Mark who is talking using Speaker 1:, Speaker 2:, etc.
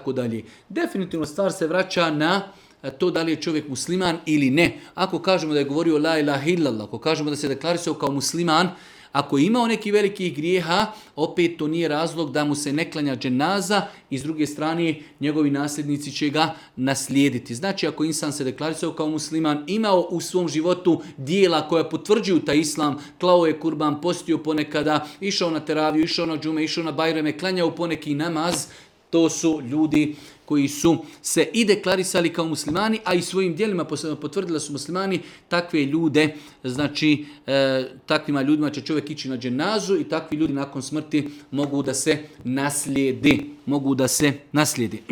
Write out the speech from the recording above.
Speaker 1: tako dalje. Definitivno stvar se vraća na to da li je čovjek musliman ili ne. Ako kažemo da je govorio la ilaha illallah, ako kažemo da se deklarisao kao musliman, ako je imao neki velikih grijeha, opet to nije razlog da mu se ne klanja dženaza i s druge strane njegovi nasljednici će ga naslijediti. Znači ako insan se deklarisao kao musliman, imao u svom životu dijela koja potvrđuju taj islam, klao je kurban, postio ponekada, išao na teraviju, išao na džume, išao na bajrame, klanjao poneki namaz, to su ljudi koji su se i deklarisali kao muslimani, a i svojim djelima potvrdili da su muslimani. Takve ljude, znači takvima ljudima će čovjek ići na dženazu i takvi ljudi nakon smrti mogu da se naslijedi.